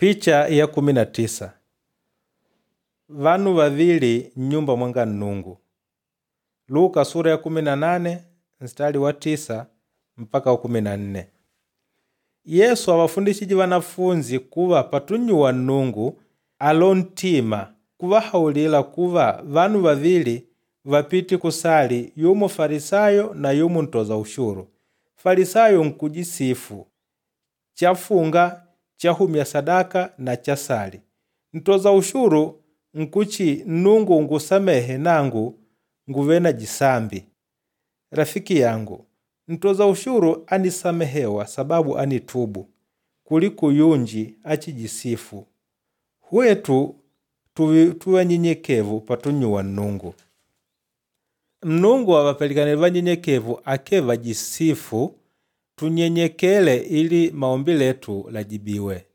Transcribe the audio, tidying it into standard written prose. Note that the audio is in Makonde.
Picha ya 19. Vanu vavili nnyumba mwanga Nnungu. Luka sura ya 18 mstari wa 9 mpaka wa 14. Yesu awafundishije wanafunzi kuva patunnyuwa Nnungu alo ntima kuvahaulila kuva vanu vavili vapite kusali yumo Farisayo na yumo ntoza ushuru. Farisayo nkujisifu chafunga chahumya sadaka na chasali. Ntoza ushuru nkuchi Nnungu ungusamehe nangu nguve na jisambi. Rafiki yangu, ntoza ushuru anisamehewa sababu anitubu kuliko yunji achijisifu. Hwetu tuve vanyenyekevu patunnyuwa Nnungu. Nnungu avapelikanile vanyenyekevu ake vajisifu tunyenyekele ili maombi letu lajibiwe.